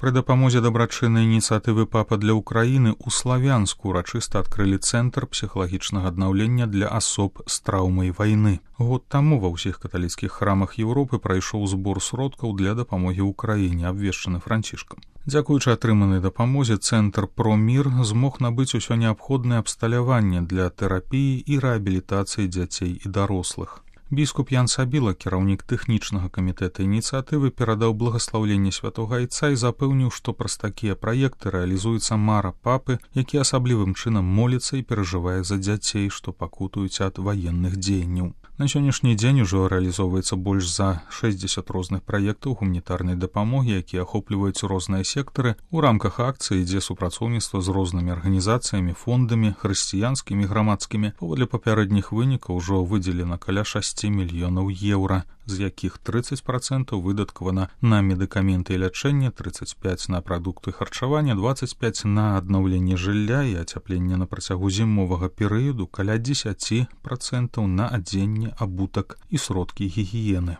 Пры дапамозе дабрачыннай ініцыятывы «Папа для Украіны» у Славянску урачыста адкрылі цэнтр псіхалагічнага аднаўлення для асоб з траўмай вайны. Год таму ва ўсіх каталіцкіх храмах Еўропы прайшоў збор сродкаў для дапамогі ўкраіне, абвешчаны Францішкам. Дзякуючы атрыманай дапамозе цэнтр «Промір» змог набыць усё неабходнае абсталяванне для тэрапіі і рэабілітацыі дзяцей і дарослых. Біскуп Ян Сабіла, кіраўнік тэхнічнага камітэта ініцыятывы, перадаў благаслаўленне святога айца і запэўніў, што праз такія праекты рэалізуецца мара папы, які асаблівым чынам моліцца і перажывае за дзяцей, што пакутуюць ад ваенных дзеянняў. На сённяшні дзень ужо рэалізоўваецца больш за 60 розных праектаў гуманітарнай дапамогі, якія ахопліваюць розныя сектары. У рамках акцыі ідзе супрацоўніцтва з рознымі арганізацыямі, фондамі, хрысціянскімі, грамадскімі. Паводле папярэдніх вынікаў ужо выдзелена каля 6 мільёнаў еўра, з якіх 30% выдаткавана на медыкаменты і лячэнне, 35% на прадукты харчавання, 25% на аднаўленне жылля і ацяпленне на працягу зімовага перыяду, каля 10% на адзенне, абутак і сродкі гігіены.